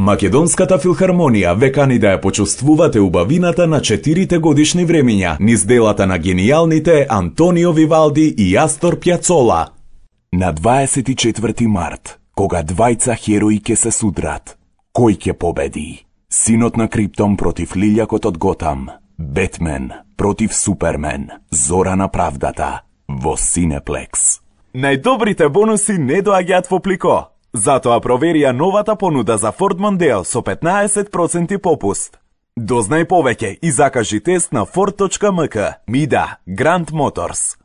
Македонската филхармонија ве кани да ја почувствувате убавината на 4 годишни времиња низ делата на генијалните Антонио Вивалди и Астор Пјацола. На 24 март, кога двајца херои ќе се судрат, кој ќе победи? Синот на Криптон против лилјакот од Готам, Бетмен против Супермен, Зора на правдата, во Синеплекс. Најдобрите бонуси не доаѓаат во плико. Затоа проверија новата понуда за Ford Mondeo со 15% попуст. Дознај повеќе и закажи тест на Ford.mk. Мида, Grand Motors.